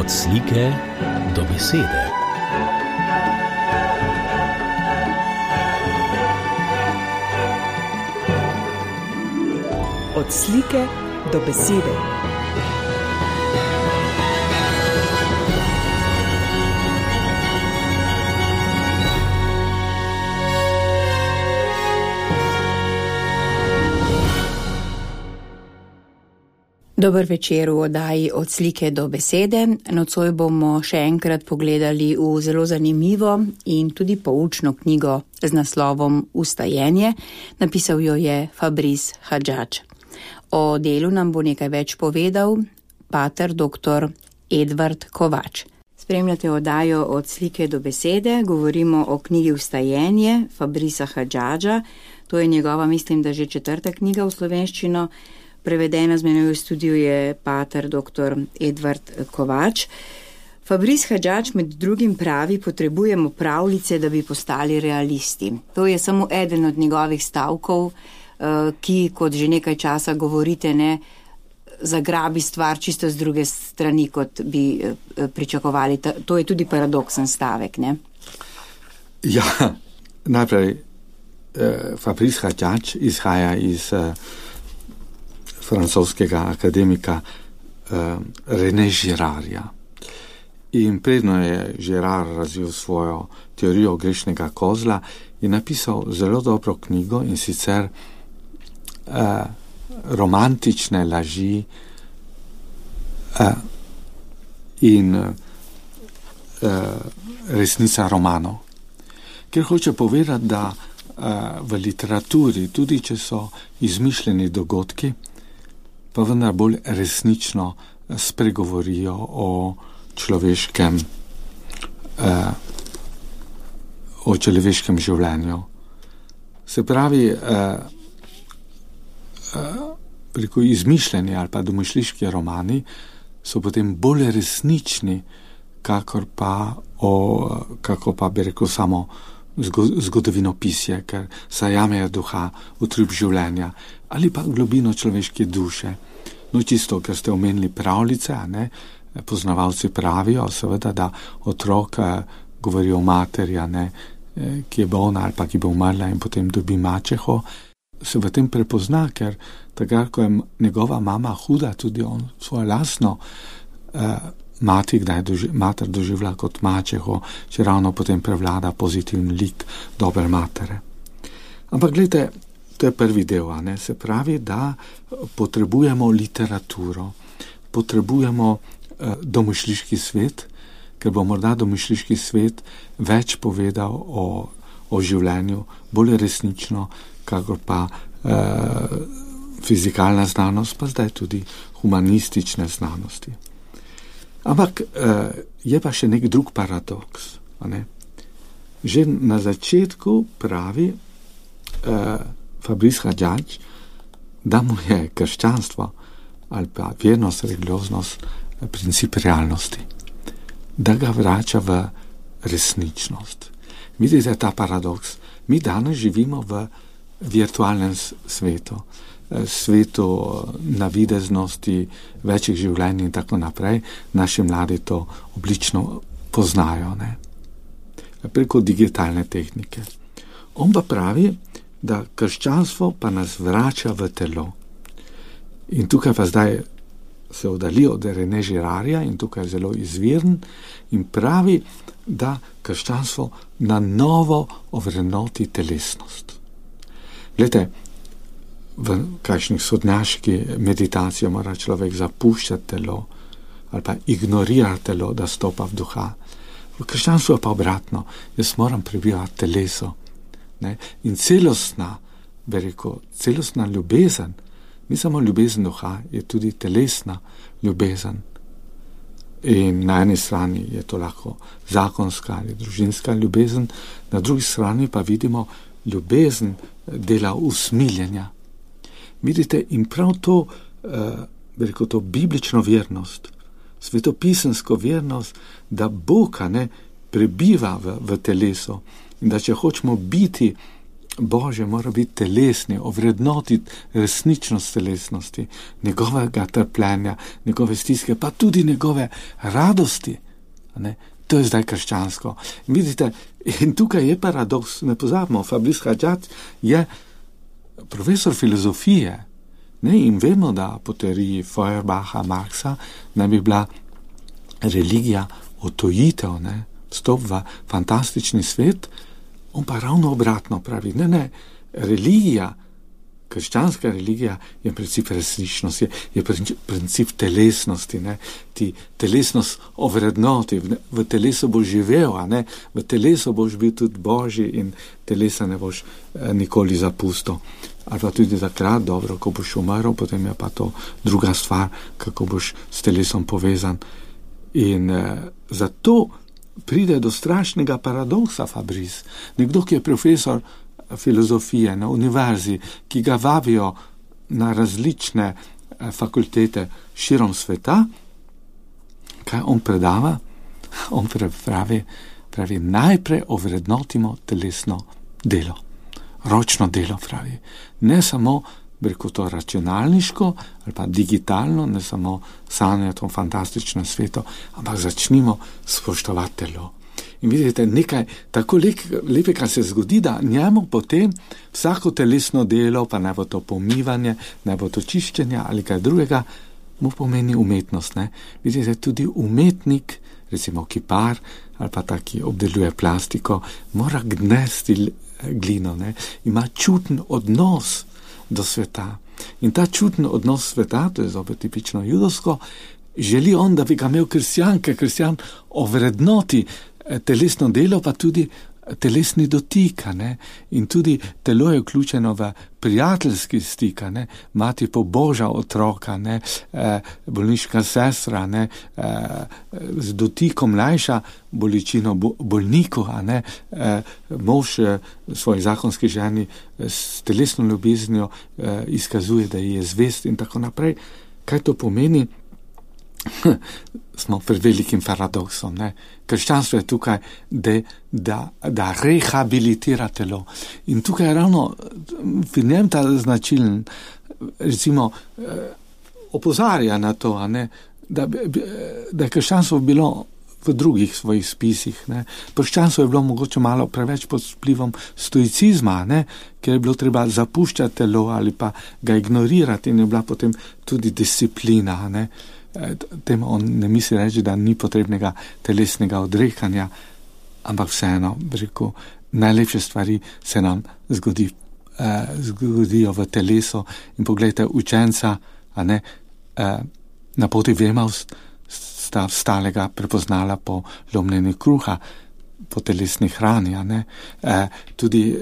Od slike do besede. Od slike do besede. Dober večer v oddaji Od slike do besede. Nocoj bomo še enkrat pogledali v zelo zanimivo in tudi poučno knjigo z naslovom Vstajenje. Napisal jo je Fabrice Hadžadž. O delu nam bo nekaj več povedal pater dr. Edvard Kovač. Spremljate oddajo Od slike do besede. Govorimo o knjigi Vstajenje Fabricea Hadžadža. To je njegova, mislim, da že 4. knjiga v slovenščino. Prevedena z menoj v studiu je pater dr. Edvard Kovač. Fabrice Hadžadž med drugim pravi, potrebujemo pravljice, da bi postali realisti. To je samo eden od njegovih stavkov, ki, kot že nekaj časa govorite, ne zagrabi stvar čisto z druge strani, kot bi pričakovali. To je tudi paradoksen stavek, ne? Ja, najprej Fabrice Hadžadž izhaja iz francoskega akademika René Girarda. In predno je Girard razvil svojo teorijo grešnega kozla in napisal zelo dobro knjigo, in sicer romantične laži in resnica romanov. Ker hoče povedati, da v literaturi, tudi če so izmišljeni dogodki, pa vendar bolj resnično spregovorijo o človeškem življenju. Se pravi, preko izmišljeni ali pa domišljijski romani so potem bolj resnični, kakor pa bi rekel samo zgodovinopisje, ker zajamejo duha, utrip življenja ali pa globino človeške duše. No, čisto, ker ste omenili pravljice, ne? Poznavalci pravijo, seveda, da otrok govori o materi, ki je bolna ali pa ki bo umrla in potem dobi mačeho, se v tem prepozna, ker takrat, ko je njegova mama huda, tudi on svojo lastno mater doživlja kot mačeho, če ravno potem prevlada pozitivni lik dobre matere. Ampak gledajte, to je prvi del, se pravi, da potrebujemo literaturo, potrebujemo domišljijski svet, ker bo morda domišljijski svet več povedal o življenju, bolj resnično, kakor pa fizikalna znanost, pa zdaj tudi humanistične znanosti. Ampak je pa še nek drug paradoks. Že na začetku pravi Fabrice Hadžadž, da mu je krščanstvo ali pa vernost, religioznost princip realnosti, da ga vrača v resničnost. Vidite ta paradoks? Mi danes živimo v virtualnem svetu, svetu navideznosti, večjih življenj in tako naprej. Naši mladi to oblično poznajo, preko digitalne tehnike. On pa pravi, da krščanstvo pa nas vrača v telo. In tukaj pa zdaj se oddali od René Girarda in tukaj je zelo izviren in pravi, da krščanstvo na novo ovrednoti telesnost. Glejte, v kakšnih sodnjaški meditaciji mora človek zapuščati telo ali pa ignorirati telo, da stopa v duha. V krščanstvu je pa obratno. Jaz moram prebivati teleso. In celostna ljubezen, ni samo ljubezen duha, je tudi telesna ljubezen. In na eni strani je to lahko zakonska ali družinska ljubezen, na drugi strani pa vidimo ljubezen dela usmiljenja. Vidite, in prav to, to biblično vernost, svetopisemsko vernost, da Bog prebiva v telesu in da če hočemo biti Božje mora biti telesni, ovrednotiti resničnost telesnosti, njegovega trpljenja, njegove stiske, pa tudi njegove radosti. Ne? To je zdaj krščansko. In vidite, in tukaj je paradoks, ne pozabimo, Fabrice Hadjadj je profesor filozofije, ne? In vemo, da po teoriji Feuerbacha, Marxa naj bi bila religija otojitev, ne? Vstop v fantastični svet. On pa ravno obratno pravi, ne, religija, krščanska religija je princip resničnosti, je princip telesnosti, ne, ti telesnost ovrednoti, v telesu boš živel, a ne, v telesu boš bil tudi Božji in telesa ne boš nikoli zapustil. Ali pa tudi takrat, dobro, ko boš umrl, potem je pa to druga stvar, kako boš s telesom povezan. In zato pride do strašnega paradoksa Fabrice. Nekdo, ki je profesor filozofije na univerzi, ki ga vabijo na različne fakultete širom sveta, kaj on predava? On pravi, najprej ovrednotimo telesno delo. Ročno delo pravi. Ne samo preko to računalniško ali pa digitalno, ne samo sanjati o fantastičnem svetu, ampak začnimo spoštovati telo. In vidite, nekaj tako lepega se zgodi, da njemu potem vsako telesno delo, pa ne bo to pomivanje, ne bo to čiščenje ali kaj drugega, mu pomeni umetnost. Ne? Vidite, tudi umetnik, recimo kipar ali pa taki obdeluje plastiko, mora gnesti glino, ne? Ima čuten odnos do sveta. In ta čuten odnos sveta, to je zopet tipično judovsko, želi on, da bi ga imel kristjan ovrednoti telesno delo, pa tudi telesni dotik, ne? In tudi telo je vključeno v prijateljski stik, ne? Mati poboža otroka, ne? Bolniška sestra, ne? Z dotikom mlajša bolečino bolniku, ne? Mož svoji zakonski ženi s telesno ljubeznijo izkazuje, da je zvest in tako naprej. Kaj to pomeni? Smo pred velikim paradoksom. Ne? Krščanstvo je tukaj, da rehabilitira telo. In tukaj je ravno v njem ta značilen, recimo, opozarja na to, ne? Da je krščanstvo bilo v drugih svojih spisih. Ne? Krščanstvo je bilo mogoče malo preveč pod vplivom stoicizma, ne? Ker je bilo treba zapuščati telo ali pa ga ignorirati in je bila potem tudi disciplina, ne? Tem on ne misli reči, da ni potrebnega telesnega odrekanja, ampak vseeno, rekel, najlepše stvari se nam zgodijo v telesu. In pogledajte, učenca, a ne, na poti v Emaus sta vstalega prepoznala po lomljenju kruha, po telesni hrani, a ne. Tudi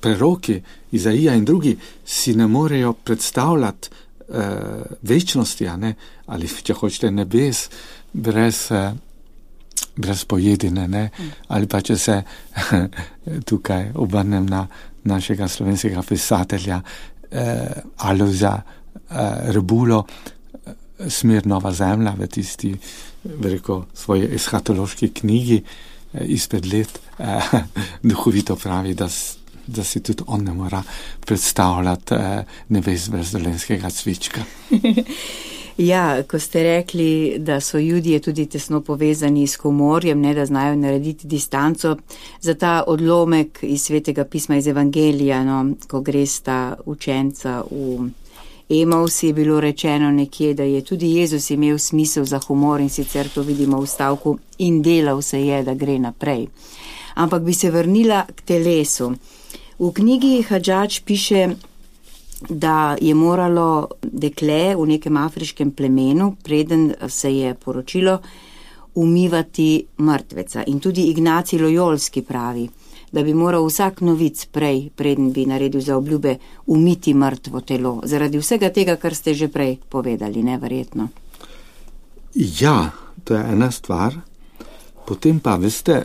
preroki, Izaija in drugi si ne morejo predstavljati večnosti, a ne, ali če hočete nebes, brez pojedine, ne, ali pa če se tukaj obrnem na našega slovenskega pisatelja Alojza Rebulo, Smer nova zemlja, v tisti, rekel, svoji eschatološki knjigi izpred let, duhovito pravi, da si tudi on ne mora predstavljati nebes brez dolenjskega cvička. Ja, ko ste rekli, da so Judje tudi tesno povezani s humorjem, ne, da znajo narediti distanco, za ta odlomek iz Svetega pisma, iz Evangelija, no, ko gresta učenca v Emaus, je bilo rečeno nekje, da je tudi Jezus imel smisel za humor in sicer to vidimo v stavku in delal se je, da gre naprej. Ampak bi se vrnila k telesu. V knjigi Hadjadj piše, da je moralo dekle v nekem afriškem plemenu, preden se je poročilo, umivati mrtveca. In tudi Ignacij Lojolski pravi, da bi moral vsak novic prej, preden bi naredil za obljube, umiti mrtvo telo. Zaradi vsega tega, kar ste že prej povedali, neverjetno. Ja, to je ena stvar. Potem pa, veste,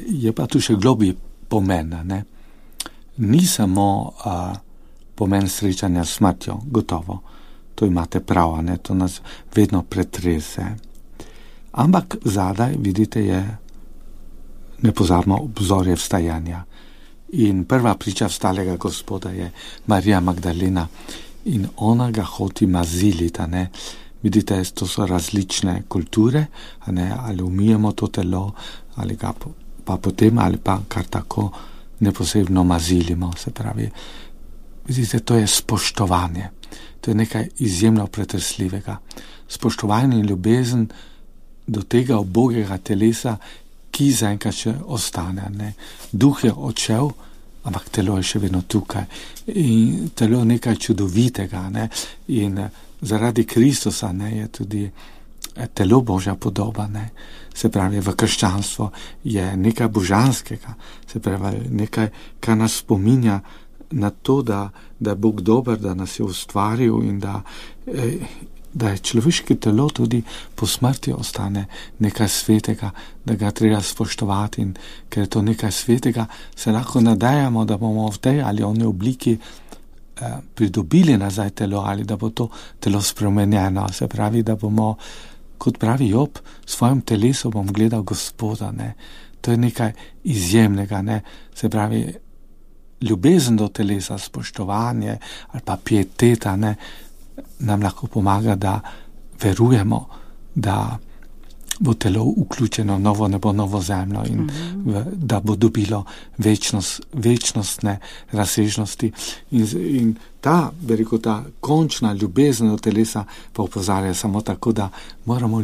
je pa tu še globlji pomen, ne? Ni samo pomen srečanja s smrtjo, gotovo. To imate prav, ne? To nas vedno pretrese. Ampak zadaj, vidite, je nepozabno obzorje vstajanja. In prva priča vstalega Gospoda je Marija Magdalena in ona ga hoti maziliti, a ne. Vidite, to so različne kulture, a ne, ali umijemo to telo, ali ga pa potem, ali pa kar tako neposebno mazilimo, se pravi. Vidite, to je spoštovanje. To je nekaj izjemno pretresljivega. Spoštovanje in ljubezen do tega ubogega telesa, ki zaenkrat še ostane, ne. Duh je odšel, ampak telo je še vedno tukaj. In telo je nekaj čudovitega, ne. In zaradi Kristusa, ne, je tudi telo Božja podoba, ne. Se pravi, v krščanstvu je nekaj božanskega, se pravi, nekaj, kar nas spominja na to, da je Bog dober, da nas je ustvaril in da je človeško telo tudi po smrti ostane nekaj svetega, da ga treba spoštovati, in ker je to nekaj svetega, se lahko nadejamo, da bomo v tej ali oni obliki pridobili nazaj telo, ali da bo to telo spremenjeno. Se pravi, da bomo, kot pravi Job, svojim telesom bom gledal Gospoda, ne. To je nekaj izjemnega, ne. Se pravi, ljubezen do telesa, spoštovanje ali pa pieteta, ne, nam lahko pomaga, da verujemo, da bo telo vključeno v novo nebo, novo zemljo in da bo dobilo večnostne razsežnosti. In ta, bi rekel, ta končna ljubezen do telesa pa opozarja samo tako, da moramo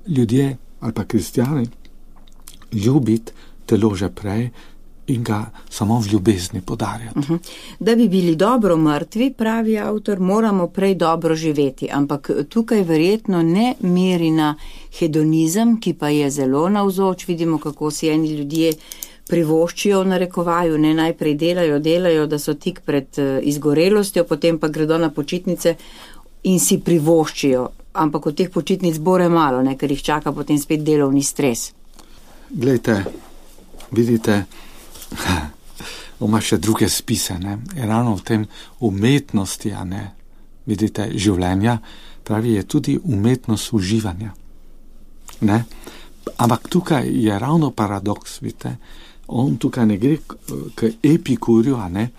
ljudje ali pa kristjani ljubiti telo že prej in ga samo v ljubezni podarjati. Da bi bili dobro mrtvi, pravi avtor, moramo prej dobro živeti, ampak tukaj verjetno ne meri na hedonizem, ki pa je zelo navzoč. Vidimo, kako si eni ljudje privoščijo v narekovaju, ne, najprej delajo, da so tik pred izgorelostjo, potem pa gredo na počitnice in si privoščijo, ampak od teh počitnic bore malo, ne, ker jih čaka potem spet delovni stres. Glejte, vidite, ima še druge spise, ne, je ravno v tem umetnosti, a ne, vidite, življenja, pravi, je tudi umetnost uživanja, ne, ampak tukaj je ravno paradoks, vidite, on tukaj ne gre k Epikurju, a ne,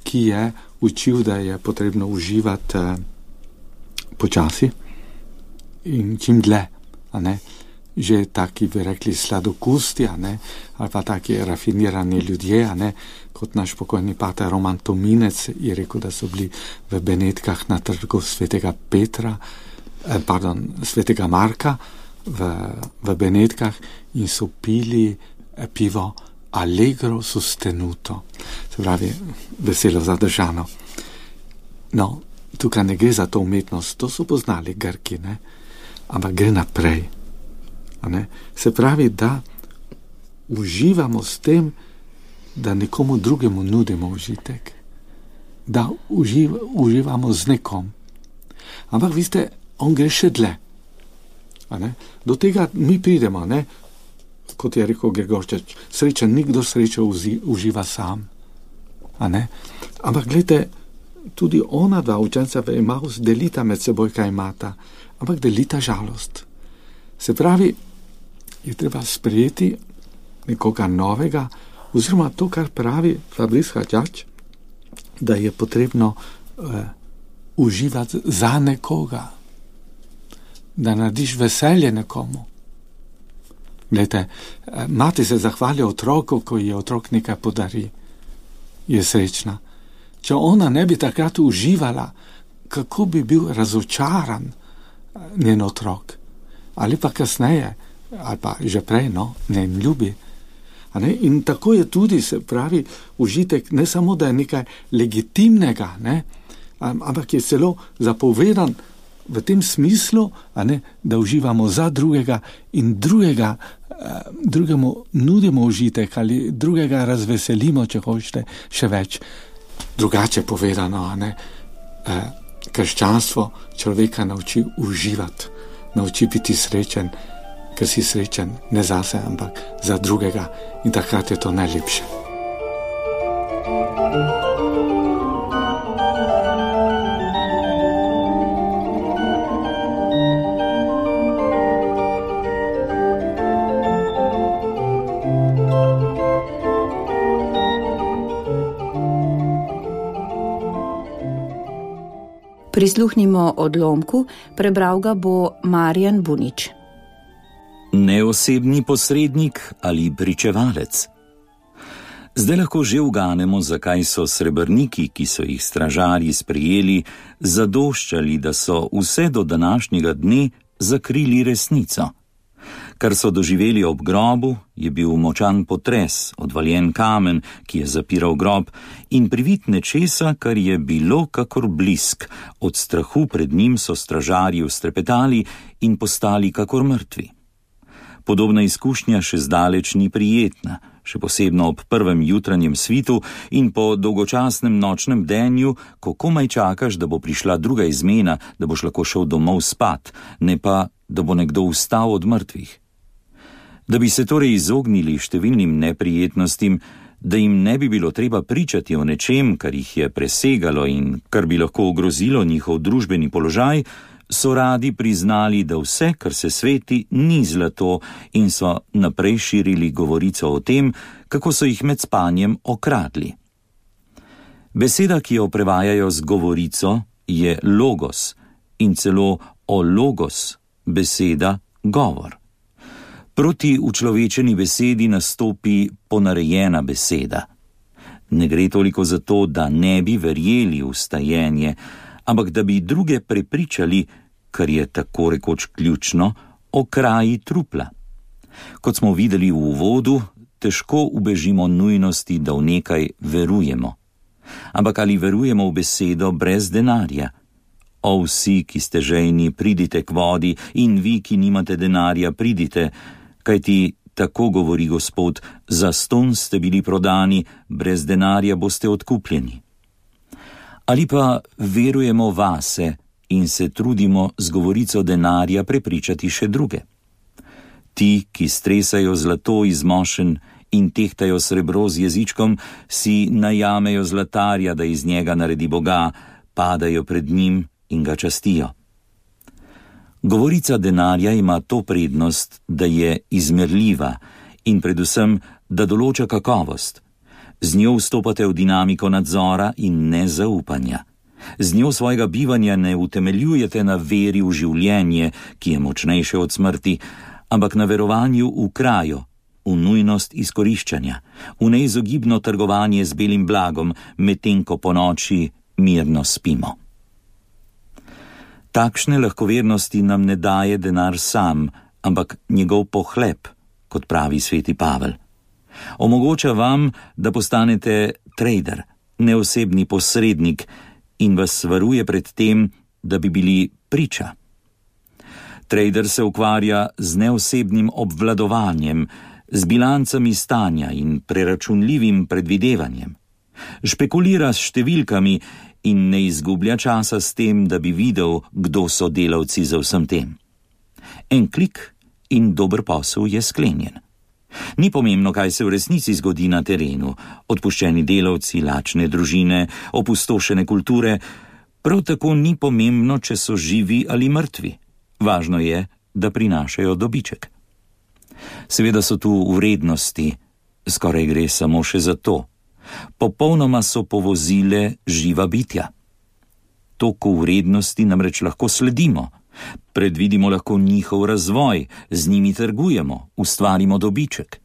ki je učil, da je potrebno uživati počasi in čim dlje, a ne, že taki, bi rekli, sladokusti, a ne, ali pa taki rafinirani ljudje, a ne, kot naš pokojni pater Roman Tominec je rekel, da so bili v Benetkah na trgu svetega Marka v Benetkah in so pili pivo allegro sostenuto, se pravi, veselo zadržano. No, tukaj ne gre za to umetnost, to so poznali Grki, ne, ampak gre naprej. Ne? Se pravi, da uživamo s tem, da nekomu drugemu nudimo užitek, da uživamo z nekom. Ampak veste, on gre še dlje. Do tega mi pridemo, ne? Kot je rekel Gregorčič, srečen nikdo srečo uživa sam. Ampak gledajte, tudi ona dva učenca v Emaus delita med seboj, kaj imata, ampak delita žalost. Se pravi, je treba sprejeti nekoga novega, oziroma to, kar pravi Fabrice Hadjadj, da je potrebno uživati za nekoga, da narediš veselje nekomu. Glejte, mati se zahvali otroku, ko je otrok nekaj podari, je srečna. Če ona ne bi takrat uživala, kako bi bil razočaran njen otrok, ali pa kasneje, ali pa že prej, no, ne ljubi. In tako je tudi, se pravi, užitek ne samo, da je nekaj legitimnega, ne, ampak je celo zapovedan v tem smislu, da uživamo za drugega in drugemu nudimo užitek ali drugega razveselimo, če hočete, še več. Drugače povedano, krščanstvo človeka nauči uživati, nauči biti srečen, ker si srečen ne zase, ampak za drugega, in takrat je to najlepše. Prisluhnimo odlomku, prebral ga bo Marjan Bunič. Neosebni posrednik ali pričevalec. Zdaj lahko že uganemo, zakaj so srebrniki, ki so jih stražarji sprejeli, zadoščali, da so vse do današnjega dne zakrili resnico. Kar so doživeli ob grobu, je bil močan potres, odvaljen kamen, ki je zapiral grob, in privid nečesa, kar je bilo kakor blisk. Od strahu pred njim so stražarji ustrepetali in postali kakor mrtvi. Podobna izkušnja še zdaleč ni prijetna, še posebno ob prvem jutranjem svitu in po dolgočasnem nočnem denju, ko komaj čakaš, da bo prišla druga izmena, da boš lahko šel domov spat, ne pa, da bo nekdo vstal od mrtvih. Da bi se torej izognili številnim neprijetnostim, da jim ne bi bilo treba pričati o nečem, kar jih je presegalo in kar bi lahko ogrozilo njihov družbeni položaj, so radi priznali, da vse, kar se sveti, ni zlato, in so naprej širili govorico o tem, kako so jih med spanjem okradli. Beseda, ki jo prevajajo z govorico, je logos, in celo o logos, beseda govor. Proti učlovečeni besedi nastopi ponarejena beseda. Ne gre toliko za to, da ne bi verjeli v stajenje, ampak da bi druge prepričali, kar je tako rekoč ključno, o kraji trupla. Kot smo videli v uvodu, težko ubežimo nujnosti, da v nekaj verujemo. Ampak ali verujemo v besedo brez denarja? O vsi, ki ste žejni, pridite k vodi, in vi, ki nimate denarja, pridite, kajti tako govori Gospod, zastonj ste bili prodani, brez denarja boste odkupljeni. Ali pa verujemo vase in se trudimo z govorico denarja prepričati še druge. Ti, ki stresajo zlato iz mošen in tehtajo srebro z jezičkom, si najamejo zlatarja, da iz njega naredi Boga, padajo pred njim in ga častijo. Govorica denarja ima to prednost, da je izmerljiva in predvsem, da določa kakovost. Z njo vstopate v dinamiko nadzora in nezaupanja. Z njo svojega bivanja ne utemeljujete na veri v življenje, ki je močnejše od smrti, ampak na verovanju v krajo, v nujnost izkoriščanja, v neizogibno trgovanje z belim blagom, medtem ko ponoči mirno spimo. Takšne lahkovernosti nam ne daje denar sam, ampak njegov pohlep, kot pravi sveti Pavel. Omogoča vam, da postanete trader, neosebni posrednik, in vas varuje pred tem, da bi bili priča. Trader se ukvarja z neosebnim obvladovanjem, z bilancami stanja in preračunljivim predvidevanjem. Špekulira s številkami in ne izgublja časa s tem, da bi videl, kdo so delavci za vsem tem. En klik in dober posel je sklenjen. Ni pomembno, kaj se v resnici zgodi na terenu, odpuščeni delavci, lačne družine, opustošene kulture, prav tako ni pomembno, če so živi ali mrtvi. Važno je, da prinašajo dobiček. Seveda so tu vrednosti, skoraj gre samo še za to. Popolnoma so povozile živa bitja. Toku vrednosti namreč lahko sledimo. Predvidimo lahko njihov razvoj, z njimi trgujemo, ustvarimo dobiček.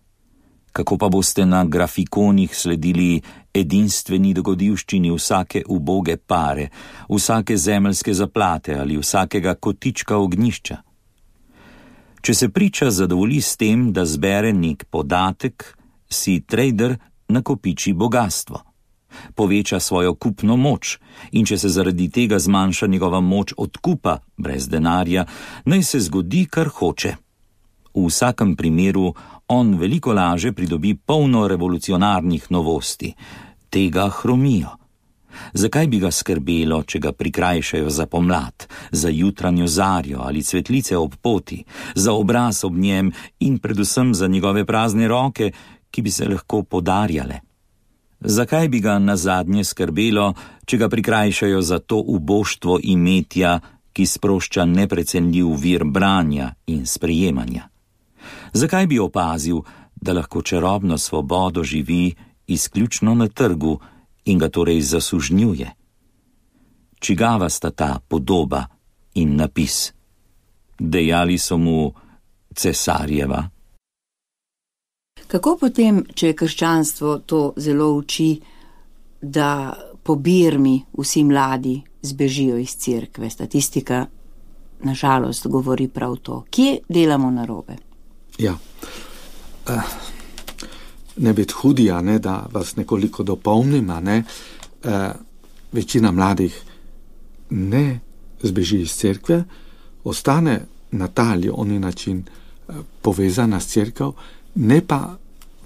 Kako pa boste na grafikonih sledili edinstveni dogodivščini vsake uboge pare, vsake zemeljske zaplate ali vsakega kotička ognjišča? Če se priča zadovolji s tem, da zbere nek podatek, si trader nakopiči bogastvo. Poveča svojo kupno moč in če se zaradi tega zmanjša njegova moč odkupa brez denarja, naj se zgodi, kar hoče. V vsakem primeru on veliko laže pridobi polno revolucionarnih novosti. Tega hromijo. Zakaj bi ga skrbelo, če ga prikrajšajo za pomlad, za jutranjo zarjo ali cvetlice ob poti, za obraz ob njem in predvsem za njegove prazne roke, ki bi se lahko podarjale? Zakaj bi ga nazadnje skrbelo, če ga prikrajšajo za to uboštvo imetja, ki sprošča neprecenljiv vir branja in sprejemanja? Zakaj bi opazil, da lahko čarobno svobodo živi izključno na trgu in ga torej zasužnjuje? čigava sta ta podoba in napis. Dejali so mu Cesarjeva. Kako potem, če krščanstvo to zelo uči, da po birmi vsi mladi zbežijo iz cerkve? Statistika nažalost govori prav to. Kje delamo narobe? Ja, ne biti hudi, da vas nekoliko dopolnim, večina mladih ne zbeži iz cerkve, ostane na ta ali oni način povezana s cerkev, ne pa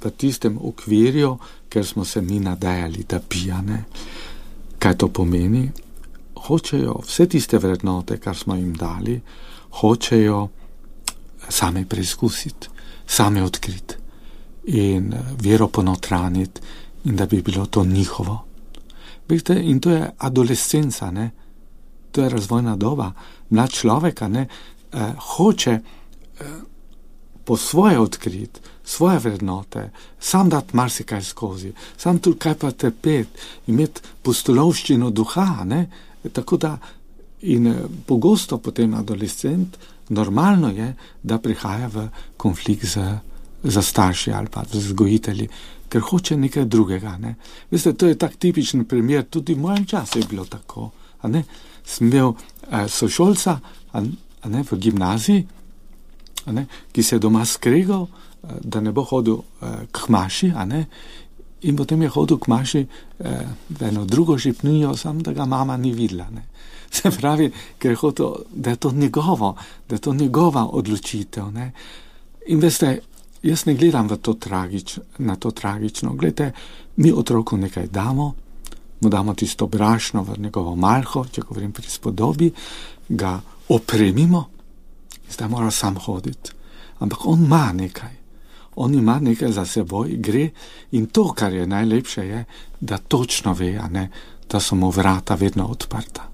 v tistem okvirju, ker smo se mi nadejali, da pijane. Kaj to pomeni? Hočejo vse tiste vrednote, kar smo jim dali, hočejo same preizkusiti, same odkriti in vero ponotraniti in da bi bilo to njihovo. Vidite, in to je adolescenca, to je razvojna doba. Mlad človek hoče po svoje odkriti, svoje vrednote, sam dati marsikaj skozi, sam tudi kaj pa trpeti, imeti pustolovščino duha, tako da in pogosto potem adolescent, normalno je, da prihaja v konflikt za starši ali pa z vzgojitelji, ker hoče nekaj drugega. Veste, to je tak tipičen primer, tudi v mojem času je bilo tako. Sem imel sošolca v gimnaziji, ki se je doma skregal, da ne bo hodil k maši, in potem je hodil k maši v eno drugo župnijo, samo da ga mama ni videla. Se pravi, ker je hotel, da je to njegova odločitev. In veste, jaz ne gledam na to tragično. Glejte, mi otroku nekaj damo, mu damo tisto brašno v njegovo malho, če govorim pri spodobi, ga opremimo in zdaj mora sam hoditi. Ampak on ima nekaj. On ima nekaj za seboj, gre in to, kar je najlepše, je, da točno ve, da so mu vrata vedno odprta.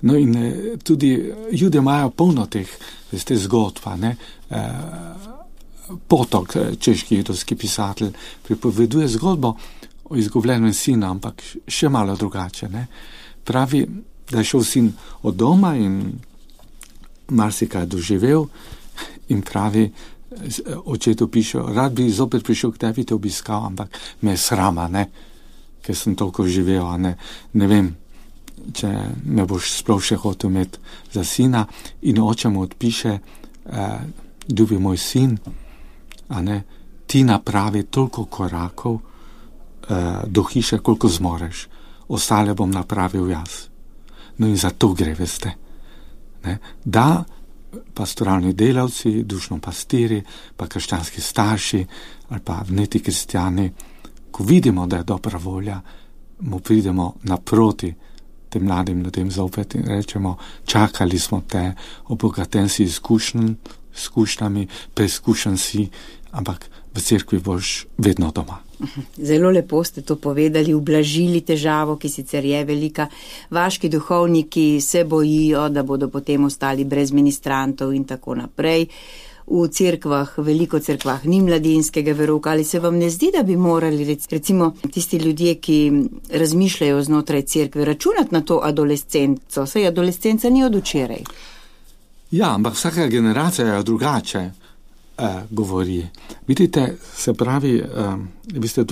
No in tudi Jude imajo polno teh zgodb, Potok, češki judovski pisatelj, pripoveduje zgodbo o izgubljenem sinu, ampak še malo drugače. Pravi, da je šel sin od doma in marsikaj doživel in pravi, očetu piše, rad bi zopet prišel k tebi te obiskal, ampak me je srama, ker sem toliko živel, ne vem, če me boš sploh še hotel imeti za sina. In oče mu odpiše, ljubi moj sin, ti napravi toliko korakov do hiše, koliko zmoreš, ostale bom napravil jaz. No in za to gre, veste, da pastoralni delavci, dušno pastiri, pa krščanski starši ali pa vneti kristjani, ko vidimo, da je dobra volja, mu pridemo naproti tem mladim ljudem zopet in rečemo, čakali smo te, obogaten si izkušnjami, preizkušen si, ampak v cerkvi boš vedno doma. Zelo lepo ste to povedali, ublažili težavo, ki sicer je velika. Vaški duhovniki se bojijo, da bodo potem ostali brez ministrantov in tako naprej. V cerkvah, veliko cerkvah ni mladinskega verouka. Ali se vam ne zdi, da bi morali recimo tisti ljudje, ki razmišljajo znotraj cerkve, računati na to adolescenco? Saj adolescenca ni od včeraj. Ja, ampak vsaka generacija je drugače govori. Vidite, se pravi, vi ste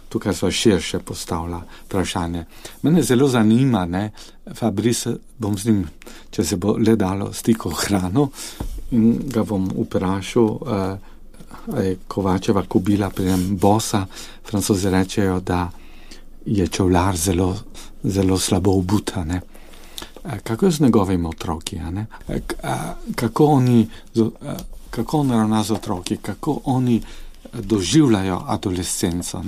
tukaj sva širše postavila vprašanje. Mene zelo zanima, Fabrice, bom z njim, če se bo le dalo, stikal hrano in ga bom vprašal, Kovačeva kobila prijem bosa. Francozi rečejo, da je čevljar zelo, zelo slabo obuta, Kako je z njegovimi otroki, kako on ravna z otroki, kako oni doživljajo adolescenco,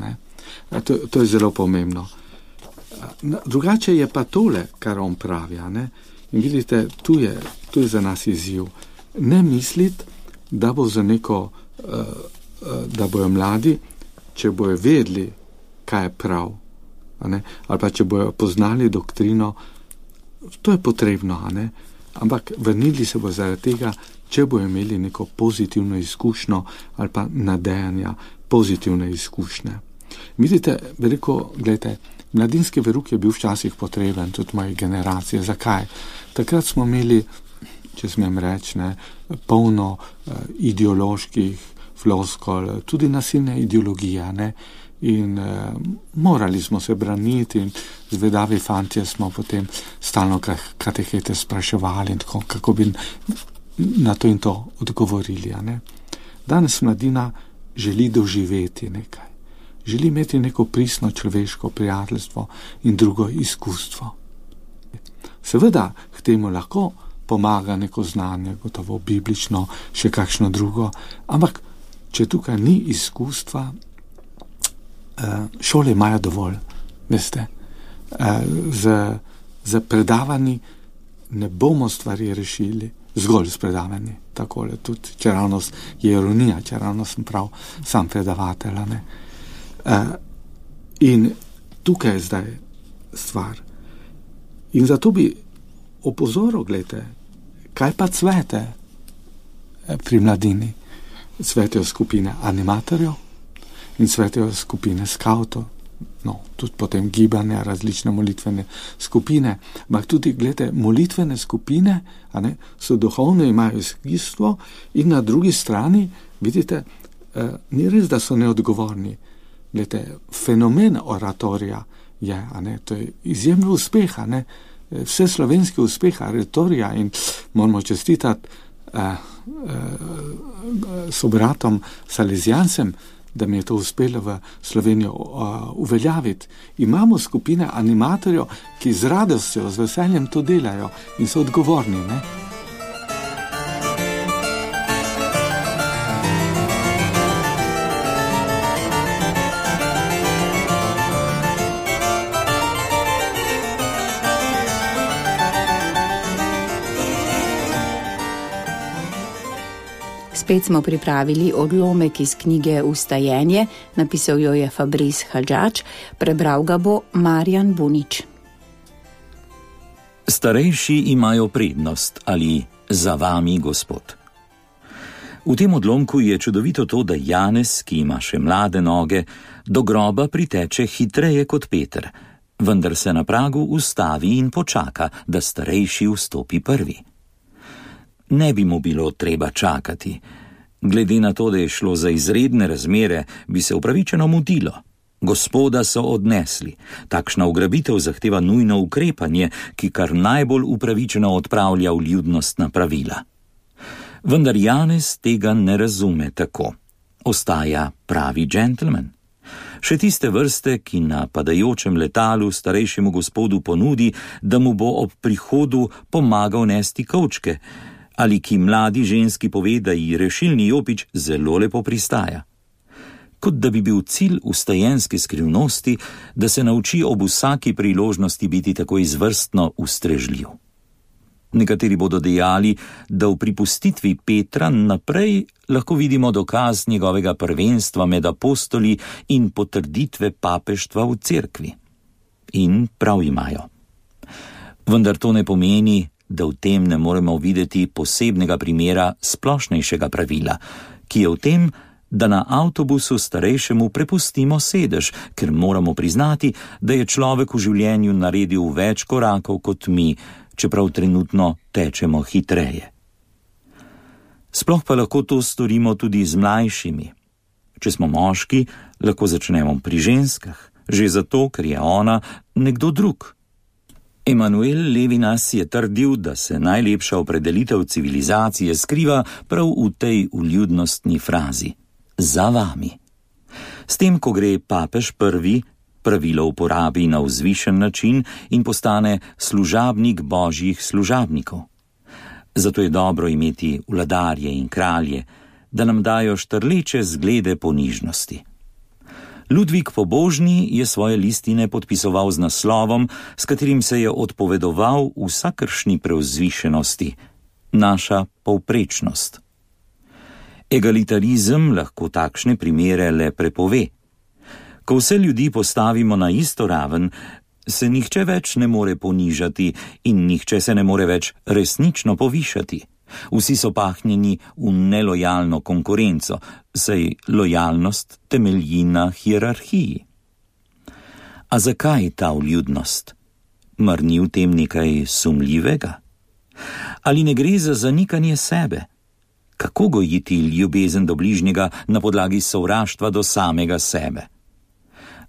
To je zelo pomembno. Drugače je pa tole, kar on pravi, In vidite, tu je za nas izziv. Ne misliti, da bo za neko, da bojo mladi, če bojo vedeli, kaj je prav, ali pa če bojo poznali doktrino, to je potrebno, ampak vrnili se bo zaradi tega, če bojo imeli neko pozitivno izkušnjo ali pa nadejanja pozitivne izkušnje. Vidite, veliko, gledajte, mladinski veruk je bil včasih potreben, tudi moje generacije. Zakaj? Takrat smo imeli, če smem reči, polno ideoloških floskol, tudi nasilne ideologije, ne? In morali smo se braniti in zvedavi fantje smo potem stalno katehete spraševali in tako, kako bi na to in to odgovorili. Ne? Danes mladina želi doživeti nekaj. Želi imeti neko pristno človeško prijateljstvo in drugo izkustvo. Seveda k temu lahko pomaga neko znanje, gotovo biblično, še kakšno drugo, ampak če tukaj ni izkustva, šole imajo dovolj, veste. Z predavanji ne bomo stvari rešili, zgolj s predavanji, takole, tudi čeravnost je ironija, čeravnost sem prav sam predavatelj, ne. In tukaj je zdaj stvar. In zato bi opozoril, gledajte, kaj pa cvete pri mladini? Cvetejo skupine animatorjev in cvetejo skupine skavtov, no, tudi potem gibanja, različne molitvene skupine, ampak tudi, gledajte, molitvene skupine, a ne, so duhovne, imajo izkustvo in na drugi strani, vidite, ni res, da so neodgovorni. Gledajte, fenomen oratorija je, a ne, to je izjemno uspeh, a ne, vse slovenski uspeh oratorija in moramo čestitati sobratom Salezijancem, da mi je to uspelo v Slovenijo uveljaviti. Imamo skupine animatorjev, ki z radostjo, z veseljem to delajo in so odgovorni, ne? Spet smo pripravili odlomek iz knjige Ustajenje, napisal jo je Fabrice Hadžač, prebral ga bo Marjan Bunič. Starejši imajo prednost ali za vami Gospod. V tem odlomku je čudovito to, da Janez, ki ima še mlade noge, do groba priteče hitreje kot Peter, vendar se na pragu ustavi in počaka, da starejši vstopi prvi. Ne bi mu bilo treba čakati. Glede na to, da je šlo za izredne razmere, bi se upravičeno mudilo. Gospoda so odnesli. Takšna ugrabitev zahteva nujno ukrepanje, ki kar najbolj upravičeno odpravlja vljudnostna pravila. Vendar Janez tega ne razume tako. Ostaja pravi džentelmen. Še tiste vrste, ki na padajočem letalu starejšemu gospodu ponudi, da mu bo ob prihodu pomagal nesti kovčke, ali ki mladi ženski pove, da ji rešilni jopič zelo lepo pristaja. Kot da bi bil cilj ustajenske skrivnosti, da se nauči ob vsaki priložnosti biti tako izvrstno ustrežljiv. Nekateri bodo dejali, da v pripustitvi Petra naprej lahko vidimo dokaz njegovega prvenstva med apostoli in potrditve papeštva v cerkvi. In prav imajo. Vendar to ne pomeni, da v tem ne moremo videti posebnega primera splošnejšega pravila, ki je v tem, da na avtobusu starejšemu prepustimo sedež, ker moramo priznati, da je človek v življenju naredil več korakov kot mi, čeprav trenutno tečemo hitreje. Sploh pa lahko to storimo tudi z mlajšimi. Če smo moški, lahko začnemo pri ženskah, že zato, ker je ona nekdo drug. Emanuel Levinas je trdil, da se najlepša opredelitev civilizacije skriva prav v tej vljudnostni frazi – za vami. S tem, ko gre papež prvi, pravilo uporabi na vzvišen način in postane služabnik božjih služabnikov. Zato je dobro imeti vladarje in kralje, da nam dajo štrleče zglede ponižnosti. Ludvik Pobožni je svoje listine podpisoval z naslovom, s katerim se je odpovedoval vsakršni preuzvišenosti, naša povprečnost. Egalitarizem lahko takšne primere le prepove. Ko vse ljudi postavimo na isto raven, se nihče več ne more ponižati in nihče se ne more več resnično povišati. Vsi so pahnjeni v nelojalno konkurenco, saj lojalnost temelji na hierarhiji. A zakaj ta vljudnost? Mar ni v tem nekaj sumljivega? Ali ne gre za zanikanje sebe? Kako gojiti ljubezen do bližnjega na podlagi sovraštva do samega sebe?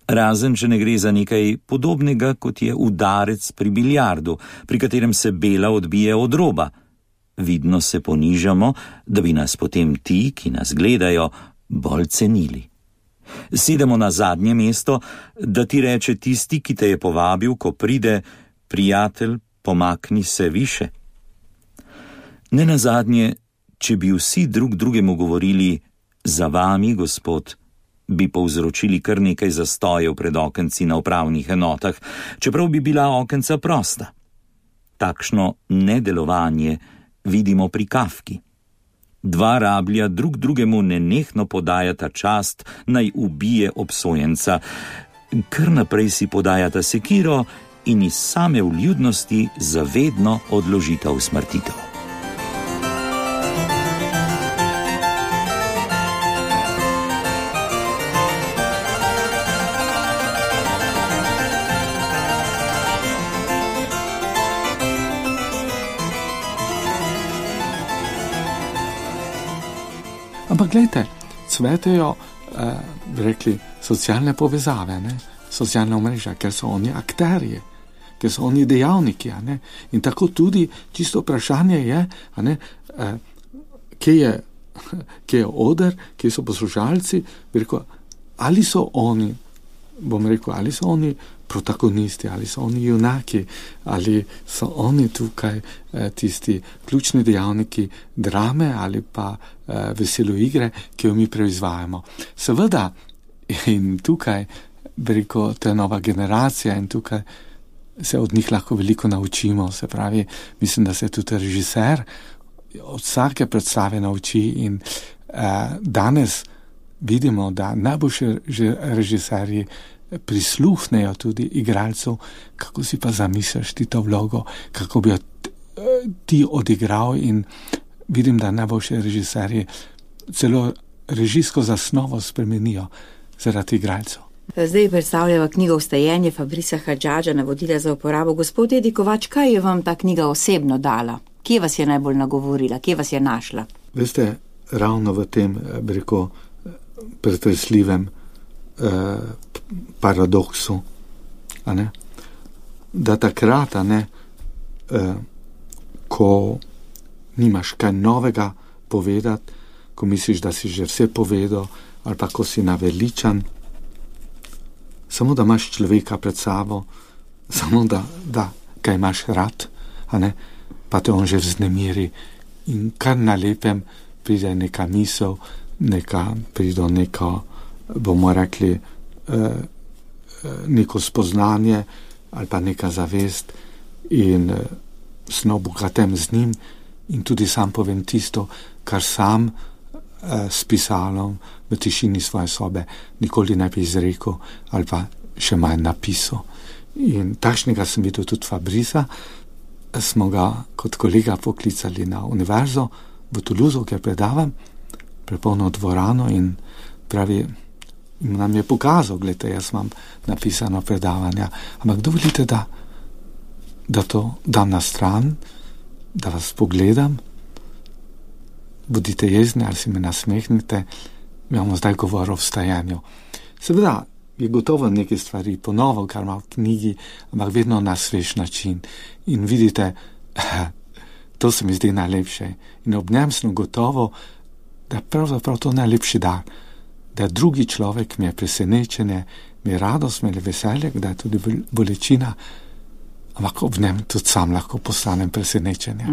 Razen, če ne gre za nekaj podobnega, kot je udarec pri biljardu, pri katerem se bela odbije od roba. Vidno se ponižamo, da bi nas potem ti, ki nas gledajo, bolj cenili. Sedemo na zadnje mesto, da ti reče tisti, ki te je povabil, ko pride: prijatelj, pomakni se više. Nenazadnje, če bi vsi drug drugemu govorili: za vami, gospod, bi povzročili kar nekaj zastojev pred okenci na upravnih enotah, čeprav bi bila okenca prosta. Takšno nedelovanje vidimo pri Kafki. Dva rablja drug drugemu nenehno podajata čast, naj ubije obsojenca, kar naprej si podajata sekiro in iz same vljudnosti zavedno odložita usmrtitev. Ampak gledajte, cvetejo, bi rekli, socialne povezave, ne? Socialna omrežja, ker so oni akterji, ker so oni dejavniki. Ne? In tako tudi čisto vprašanje je, kje je oder, kje so poslušalci, bi rekel, ali so oni, ali so oni protagonisti, ali so oni junaki, ali so oni tukaj tisti ključni dejavniki drame ali pa veselo igre, ki jo mi proizvajamo. Seveda, in tukaj, bi rekel, to je nova generacija in tukaj se od njih lahko veliko naučimo. Se pravi, mislim, da se tudi režiser od vsake predstave nauči in danes vidimo, da najboljši režiserji prisluhnejo tudi igralcev, kako si pa zamisliš ti to vlogo, kako bi jo ti odigral, in vidim, da najboljši režiserji celo režijsko zasnovo spremenijo zaradi igralcev. Zdaj predstavljava knjigo Vstajenje Fabrisa Hadžadža, navodila za uporabo. Gospod Edi Kovač, kaj je vam ta knjiga osebno dala? Kje vas je najbolj nagovorila? Kje vas je našla? Veste, ravno v tem, bi rekel, pretresljivem paradoksu, da takrat, ko nimaš kaj novega povedati, ko misliš, da si že vse povedal, ali pa ko si naveličan, samo da imaš človeka pred sabo, samo da ga imaš rad, pa te on že vznemiri in kar na lepem pride neka misel, pride neko, bomo rekli, neko spoznanje ali pa neka zavest, in sem obogaten z njim in tudi sam povem tisto, kar sam s pisalom v tišini svoje sobe nikoli ne bi izrekel ali pa še manj napisal. In takšnega sem videl tudi Fabrisa. Smo ga kot kolega poklicali na univerzo v Toulouse, kjer predavam, prepolno dvorano, in pravi, nam je pokazal, gledajte, jaz imam napisano predavanja, ampak dovolite, da to dam na stran, da vas pogledam, bodite jezni ali si me nasmehnite, mi imamo zdaj govor o vstajanju. Seveda je gotovo neke stvari ponovil, kar ima v knjigi, ampak vedno na svež način. In vidite, to se mi zdi najlepše. In ob njem sem gotovo, da pravzaprav to najlepši dar, da drugi človek mi je presenečenje, mi je radost, mi je veselje, da je tudi bolečina, ampak ob njem tudi sam lahko postanem presenečenje.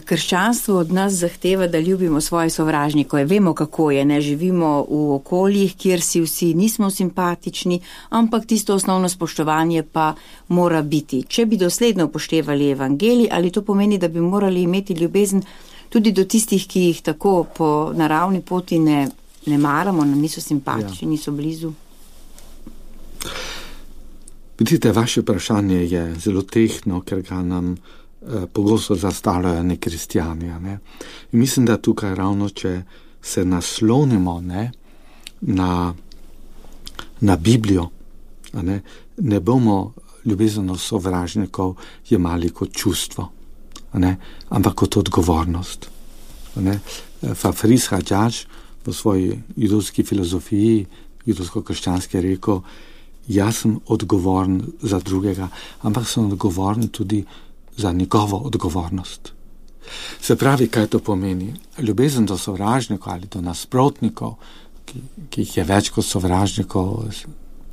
Krščanstvo od nas zahteva, da ljubimo svoje sovražnike. Vemo, kako je, ne živimo v okoljih, kjer si vsi nismo simpatični, ampak tisto osnovno spoštovanje pa mora biti. Če bi dosledno upoštevali evangelij, ali to pomeni, da bi morali imeti ljubezen tudi do tistih, ki jih tako po naravni poti ne maramo, nam niso simpatični, niso blizu? Vidite, vaše vprašanje je zelo tehtno, ker ga nam pogosto zastavljajo nekristjani. In mislim, da tukaj ravno, če se naslonimo na Biblijo Ne bomo ljubezen do sovražnikov jemali kot čustvo, ampak kot odgovornost. Fabrice Hadjadž v svoji judovski filozofiji, judovsko-krščanski je rekel, jaz sem odgovoren za drugega, ampak sem odgovoren tudi za njegovo odgovornost. Se pravi, kaj to pomeni? Ljubezen do sovražnikov ali do nasprotnikov, ki jih je več kot sovražnikov,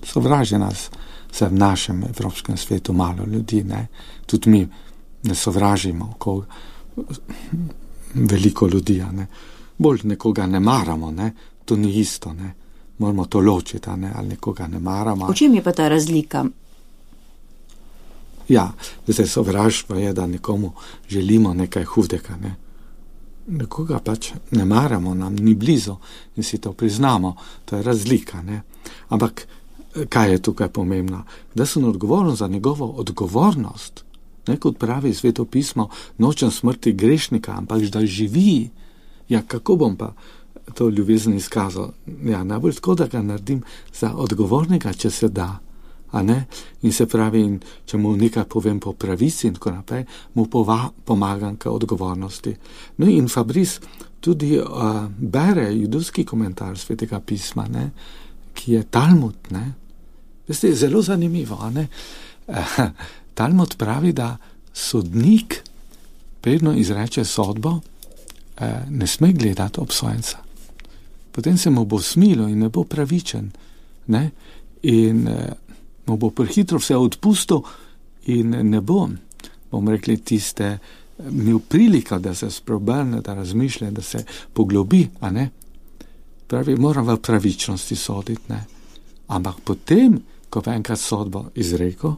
sovraži nas se v našem evropskem svetu malo ljudi, Tudi mi ne sovražimo veliko ljudi, Bolj nekoga ne maramo, To ni isto, Moramo to ločiti, ali nekoga ne maramo. V čem je pa ta razlika? Ja, sovraštvo je, da nekomu želimo nekaj hudega, Nekoga pač ne maramo, nam ni blizu in si to priznamo. To je razlika, Ampak kaj je tukaj pomembno? Da sem odgovoren za njegovo odgovornost. Kot pravi Sveto pismo, nočem smrti grešnika, ampak da živi. Ja, kako bom pa to ljubezen izkazal? Ja, najbolj tako, da ga naredim za odgovornega, če se da. In se pravi, če mu nekaj povem po pravici in tako naprej, mu pomagam k odgovornosti. No in Fabrice tudi bere judovski komentar Svetega pisma, ki je Talmud, Veste, zelo zanimivo, Talmud pravi, da sodnik, predno izreče sodbo, ne sme gledati obsojenca. Potem se mu bo smilo in ne bo pravičen, in mu bo prehitro vse odpustil in ne bom rekli, tiste imel priliko, da se spreobrne, da razmišlja, da se poglobi, Pravi, moram v pravičnosti soditi, Ampak potem, ko pa enkrat sodbo izrekel,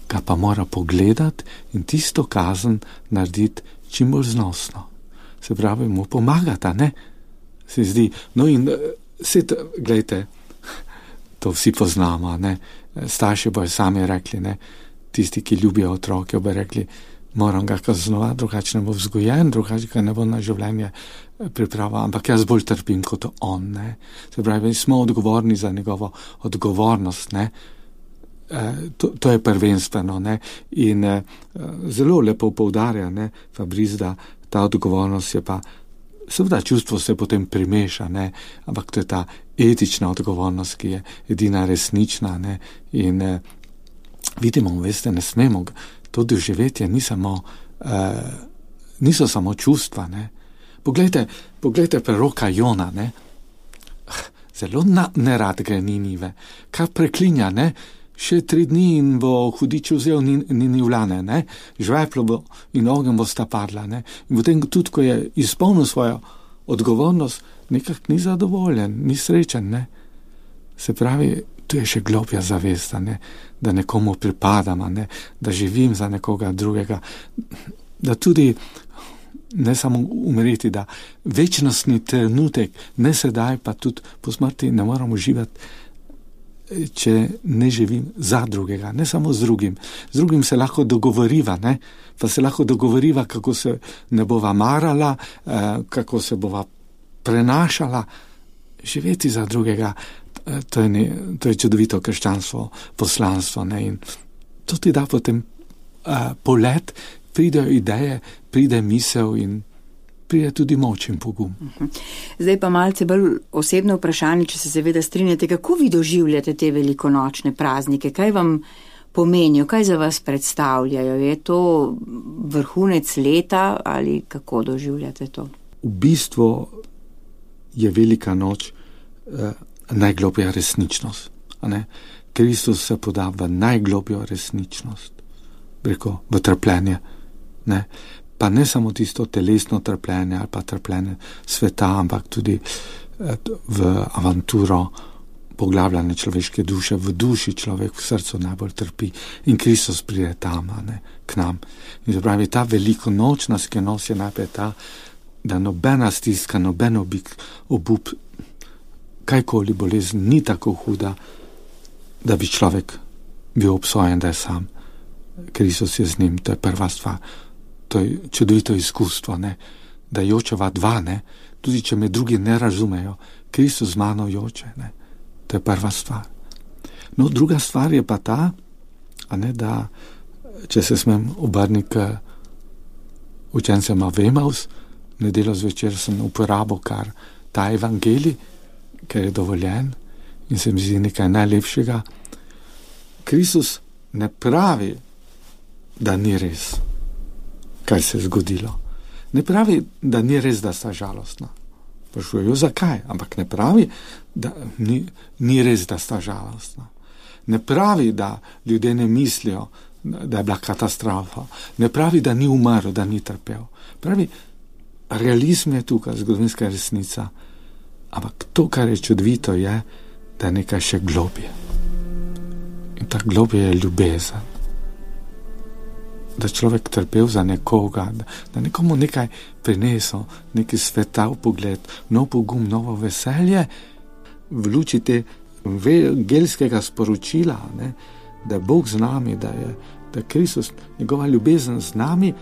ga pa mora pogledati in tisto kazen narediti čim bolj znosno. Se pravi, mu pomagata, Se zdi, no in gledajte, to vsi poznamo, Starši bojo sami rekli, tisti, ki ljubijo otroke, bojo rekli, moram ga kaznovati, drugače ne bo vzgojen, drugače ga ne bo na življenje pripravil, ampak jaz bolj trpim kot on, Se pravi, smo odgovorni za njegovo odgovornost, To je prvenstveno, In zelo lepo poudarja, Fabrice, da ta odgovornost je pa, seveda čustvo se potem primeša, ampak to je ta etična odgovornost, ki je edina resnična, In vidimo, veste, ne smemo, to doživetje niso samo čustva, Poglejte preroka Jona, Zelo nerad gre Ninive, kar preklinja, Še 3 dni in bo hudič vzel Ninivljane, žveplo bo in ogenj bo sta padla, In potem tudi, ko je izpolnil svojo odgovornost, nekak ni zadovoljen, ni srečen, Se pravi, tu je še globja zavest, da nekomu pripadam, da živim za nekoga drugega, da tudi ne samo umreti, da večnostni trenutek, ne sedaj, pa tudi po smrti ne moramo živeti, če ne živim za drugega, ne samo z drugim. Z drugim se lahko dogovoriva, pa se lahko dogovoriva, kako se ne bova marala, kako se bova prenašala. Živeti za drugega, to je čudovito krščanstvo, poslanstvo, In to ti da potem polet, pridejo ideje, pride misel in pride tudi moč in pogum. Zdaj pa malce bolj osebno vprašanje, če se seveda strinjate, kako vi doživljate te velikonočne praznike, kaj vam pomenijo, kaj za vas predstavljajo, je to vrhunec leta ali kako doživljate to? V bistvu je velika noč najgloblja resničnost. Kristus se poda v najglobljo resničnost, v trpljenje. Pa ne samo tisto telesno trpljenje ali pa trpljenje sveta, ampak tudi v avanturo poglabljanje človeške duše, v duši človek v srcu najbolj trpi in Kristus pride tam, k nam. In to pravi, ta velikonočna skrivnost je najprej ta, da nobena stiska, noben obup, kajkoli bolezen ni tako huda, da bi človek bil obsojen, da je sam. Kristus je z njim, to je prva stvar. To je čudovito izkustvo, da jočeva dva, tudi če me drugi ne razumejo, Kristus z mano joče, to je prva stvar. No, druga stvar je pa ta, da če se smem obrniti k učencema v Emaus, nedeljo zvečer sem uporabil kar ta evangelij, ker je dovoljen in se mi zdi nekaj najlepšega. Kristus ne pravi, da ni res, kaj se je zgodilo. Ne pravi, da ni res, da sta žalostna. Sprašujejo, zakaj? Ampak ne pravi, da ni res, da sta žalostna. Ne pravi, da ljudje ne mislijo, da je bila katastrofa. Ne pravi, da ni umrl, da ni trpel. Pravi, realizm je tukaj, zgodovinska resnica. Ampak to, kar je čudovito, je, da je nekaj še globje. In ta globje je ljubezen. Da človek trpel za nekoga, da nekomu nekaj prinesel, neki svetav pogled, nov pogum, novo veselje, v luči te evangeljskega sporočila, da je Bog z nami, da je Kristus, njegova ljubezen z nami,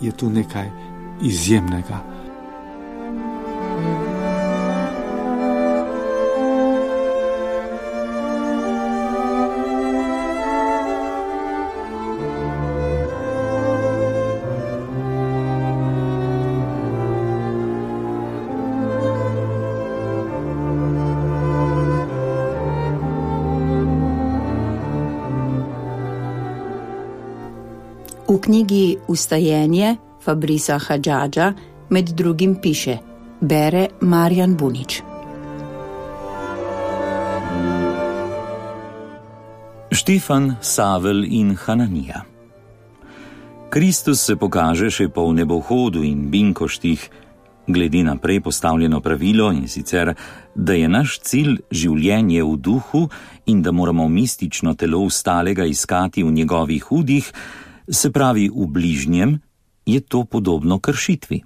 je tu nekaj izjemnega. V knjigi Vstajenje Fabrisa Hadžadža med drugim piše, bere Marjan Bunič. Štefan, Savel in Hananija. Kristus se pokaže še po nebohodu in binkoštih, glede na prej postavljeno pravilo, in sicer, da je naš cilj življenje v duhu in da moramo mistično telo ustalega iskati v njegovih hudih, se pravi v bližnjem, je to podobno kršitvi.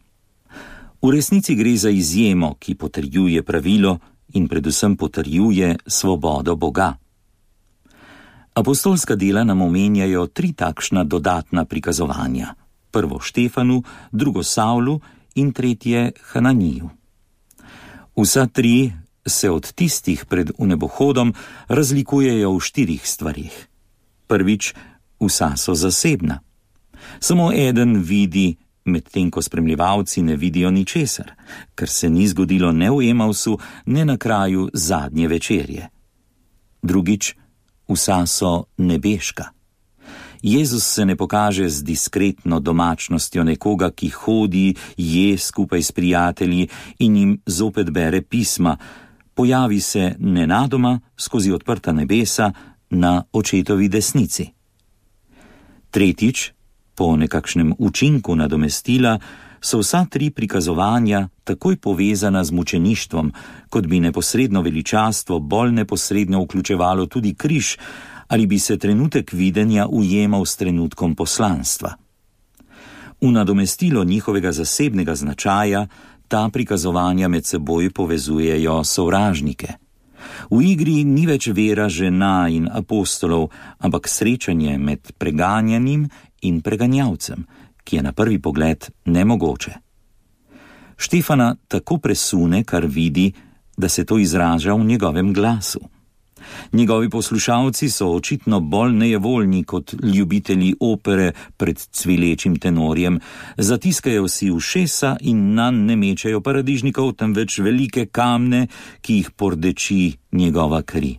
V resnici gre za izjemo, ki potrjuje pravilo in predvsem potrjuje svobodo Boga. Apostolska dela nam omenjajo 3 takšna dodatna prikazovanja. Prvo Štefanu, drugo Savlu in tretje Hananiju. Vsa 3 se od tistih pred vnebohodom razlikujejo v 4 stvarih. Prvič, vsa so zasebna. Samo eden vidi, medtem ko spremljevalci ne vidijo ničesar, ker se ni zgodilo ne v Emausu, ne na kraju zadnje večerje. Drugič, vsa so nebeška. Jezus se ne pokaže z diskretno domačnostjo nekoga, ki hodi, je skupaj s prijatelji in jim zopet bere pisma. Pojavi se nenadoma skozi odprta nebesa na očetovi desnici. Tretjič, po nekakšnem učinku nadomestila, so vsa 3 prikazovanja takoj povezana z mučeništvom, kot bi neposredno veličastvo bolj neposredno vključevalo tudi križ, ali bi se trenutek videnja ujemal s trenutkom poslanstva. V nadomestilo njihovega zasebnega značaja ta prikazovanja med seboj povezujejo sovražnike. V igri ni več vera žena in apostolov, ampak srečanje med preganjanim in preganjavcem, ki je na prvi pogled nemogoče. Štefana tako presune, kar vidi, da se to izraža v njegovem glasu. Njegovi poslušalci so očitno bolj nejevoljni kot ljubitelji opere pred cvilečim tenorjem, zatiskajo si ušesa in nanj ne mečejo paradižnikov, temveč velike kamne, ki jih pordeči njegova kri.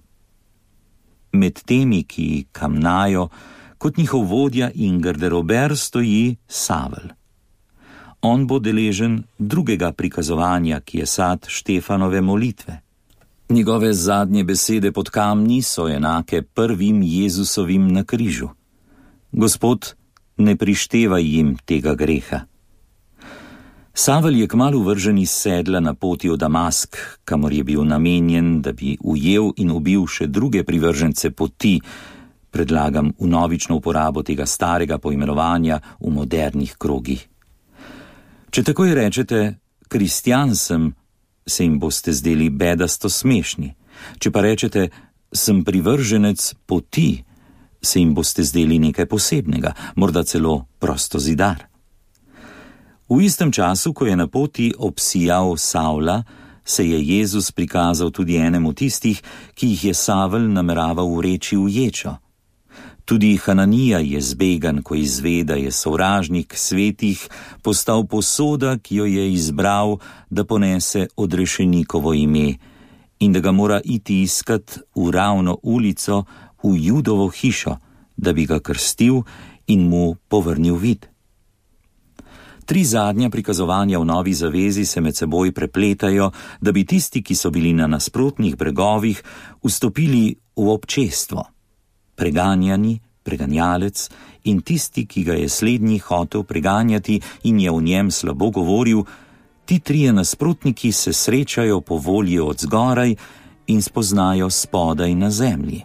Med temi, ki kamnajo, kot njihov vodja in garderober stoji Savel. On bo deležen drugega prikazovanja, ki je sad Štefanove molitve. Njegove zadnje besede pod kamni so enake prvim Jezusovim na križu. Gospod, ne prištevaj jim tega greha. Savel je kmalu vržen iz sedla na poti v Damask, kamor je bil namenjen, da bi ujel in ubil še druge privržence poti. Predlagam vnovično uporabo tega starega poimenovanja v modernih krogih. Če takoj rečete, kristjan sem, se jim boste zdeli bedasto smešni. Če pa rečete, sem privrženec poti, se jim boste zdeli nekaj posebnega, morda celo prosto zidar. V istem času, ko je na poti obsijal Savla, se je Jezus prikazal tudi enemu tistih, ki jih je Savel nameraval vreči v ječo. Tudi Hananija je zbegan, ko izve, da je sovražnik svetih postal posoda, ki jo je izbral, da ponese odrešenikovo ime in da ga mora iti iskat v ravno ulico, v Judovo hišo, da bi ga krstil in mu povrnil vid. 3 zadnja prikazovanja v Novi zavezi se med seboj prepletajo, da bi tisti, ki so bili na nasprotnih bregovih, vstopili v občestvo. Preganjani, preganjalec in tisti, ki ga je slednji hotel preganjati in je v njem slabo govoril, ti 3 nasprotniki se srečajo po volji od zgoraj in spoznajo spodaj na zemlji.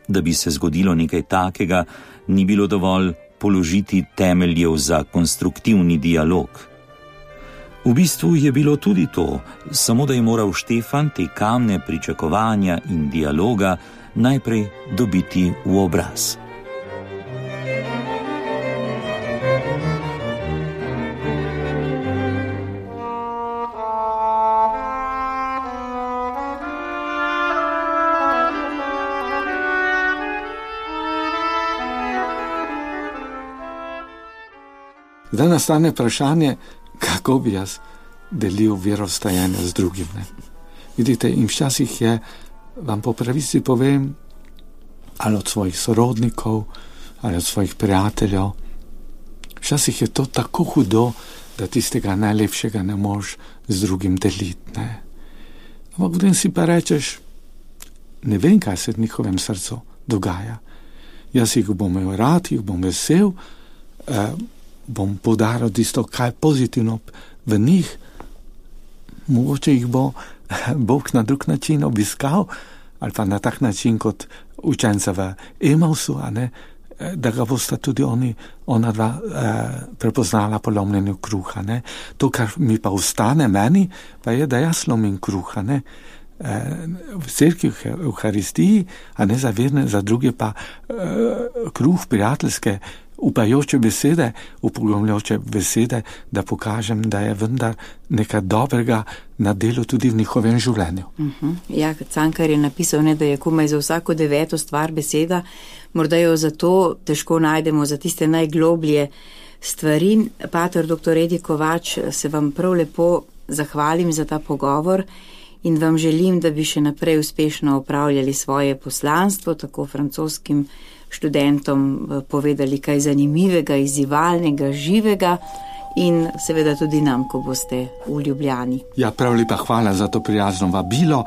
Da bi se zgodilo nekaj takega, ni bilo dovolj položiti temeljev za konstruktivni dialog. V bistvu je bilo tudi to, samo da je moral Štefan te kamne pričakovanja in dialoga najprej dobiti v obraz. Zdaj nastane vprašanje, kako bi jaz delil verovstajanje z drugim. Ne? Vidite, in včasih je, vam po pravici povem, ali od svojih sorodnikov, ali od svojih prijateljev, včasih je to tako hudo, da tistega najlepšega ne moš z drugim deliti. Ne? Ampak potem si pa rečeš, ne vem, kaj se v njihovem srcu dogaja. Jaz jih bom imel rad, jih bom vesel, bom poudaril tisto, kaj pozitivno v njih, mogoče jih bo Bog na drug način obiskal, ali pa na tak način kot učenca v Emausu, da ga bosta tudi ona dva prepoznala po lomljenju kruha. Ne? To, kar mi pa ostane meni, pa je, da jaz lomim kruha. Ne? V cerkvi, v Euharistiji, a ne za verne, za druge pa kruh prijateljske, upajoče besede, upogumljajoče besede, da pokažem, da je vendar nekaj dobrega na delu tudi v njihovem življenju. Ja, Cankar je napisal, da je komaj za vsako 9. stvar beseda, morda jo zato težko najdemo za tiste najgloblje stvari. Pater dr. Edi Kovač, se vam prav lepo zahvalim za ta pogovor in vam želim, da bi še naprej uspešno opravljali svoje poslanstvo, tako francoskim študentom povedali kaj zanimivega, izzivalnega, živega in seveda tudi nam, ko boste v Ljubljani. Ja, prav lepa hvala za to prijazno vabilo.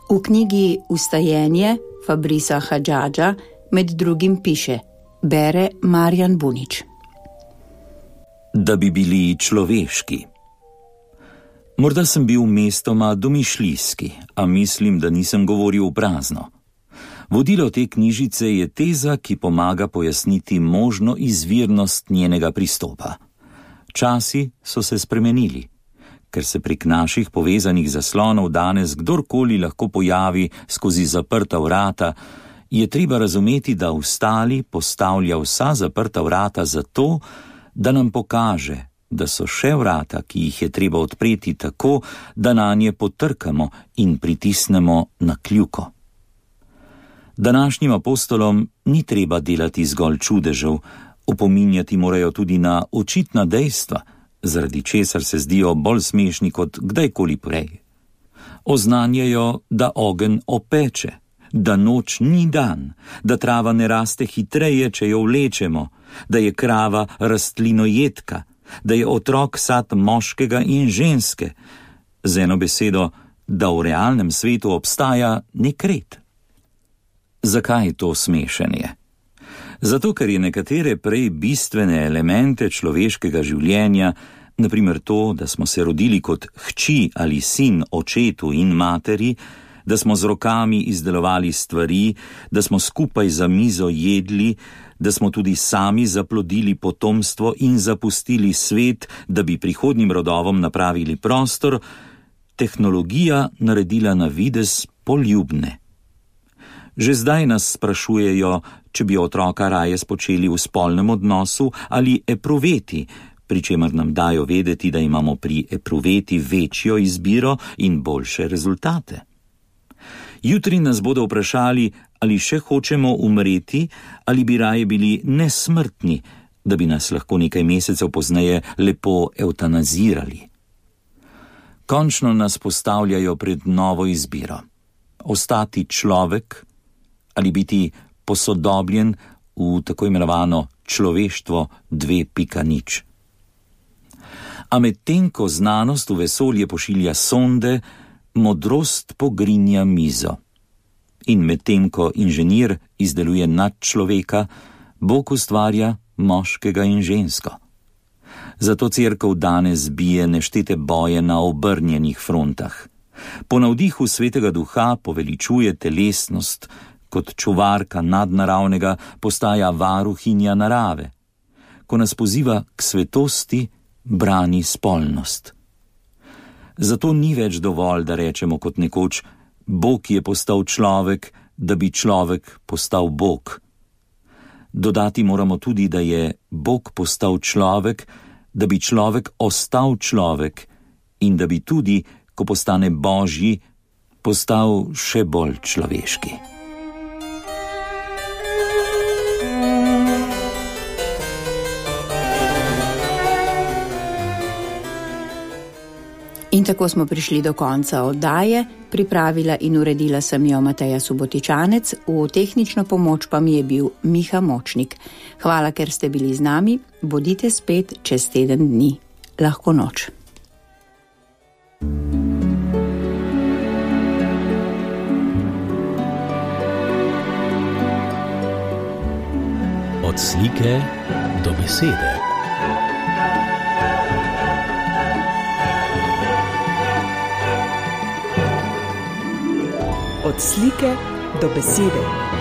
V knjigi Vstajenje Fabrisa Hadžadža med drugim piše, bere Marjan Bunič. Da bi bili človeški. Morda sem bil mestoma domišljijski, a mislim, da nisem govoril v prazno. Vodilo te knjižice je teza, ki pomaga pojasniti možno izvirnost njenega pristopa. Časi so se spremenili. Ker se prek naših povezanih zaslonov danes kdorkoli lahko pojavi skozi zaprta vrata, je treba razumeti, da Vstali postavlja vsa zaprta vrata zato, da nam pokaže, da so še vrata, ki jih je treba odpreti tako, da nanje potrkamo in pritisnemo na kljuko. Današnjim apostolom ni treba delati zgolj čudežev, opominjati morajo tudi na očitna dejstva, zaradi česar se zdijo bolj smešni kot kdajkoli prej. Oznanjajo, da ogenj opeče, da noč ni dan, da trava ne raste hitreje, če jo vlečemo, da je krava rastlinojedka, da je otrok sad moškega in ženske, z eno besedo, da v realnem svetu obstaja nek red. Zakaj to smešenje? Zato, ker je nekatere prej bistvene elemente človeškega življenja, naprimer to, da smo se rodili kot hči ali sin očetu in materi, da smo z rokami izdelovali stvari, da smo skupaj za mizo jedli, da smo tudi sami zaplodili potomstvo in zapustili svet, da bi prihodnjim rodovom napravili prostor, tehnologija naredila na videz poljubne. Že zdaj nas sprašujejo, če bi otroka raje spočeli v spolnem odnosu ali epruveti, pri čemer nam dajo vedeti, da imamo pri epruveti večjo izbiro in boljše rezultate. Jutri nas bodo vprašali, ali še hočemo umreti ali bi raje bili nesmrtni, da bi nas lahko nekaj mesecev pozneje lepo evtanazirali. Končno nas postavljajo pred novo izbiro. Ostati človek ali biti posodobljen v tako imenovano človeštvo 2.0. A medtem ko znanost v vesolje pošilja sonde, modrost pogrinja mizo. In medtem ko inženir izdeluje nadčloveka, Bog ustvarja moškega in žensko. Zato cerkev danes bije neštete boje na obrnjenih frontah. Po navdihu Svetega Duha poveličuje telesnost, kot čuvarka nadnaravnega postaja varuhinja narave. Ko nas poziva k svetosti, brani spolnost. Zato ni več dovolj, da rečemo kot nekoč, Bog je postal človek, da bi človek postal Bog. Dodati moramo tudi, da je Bog postal človek, da bi človek ostal človek in da bi tudi, ko postane Božji, postal še bolj človeški. In tako smo prišli do konca oddaje. Pripravila in uredila sem jo Mateja Subotičanec, v tehnično pomoč pa mi je bil Miha Močnik. Hvala, ker ste bili z nami. Bodite spet čez teden dni. Lahko noč. Od slike do besede. Od slike do besede.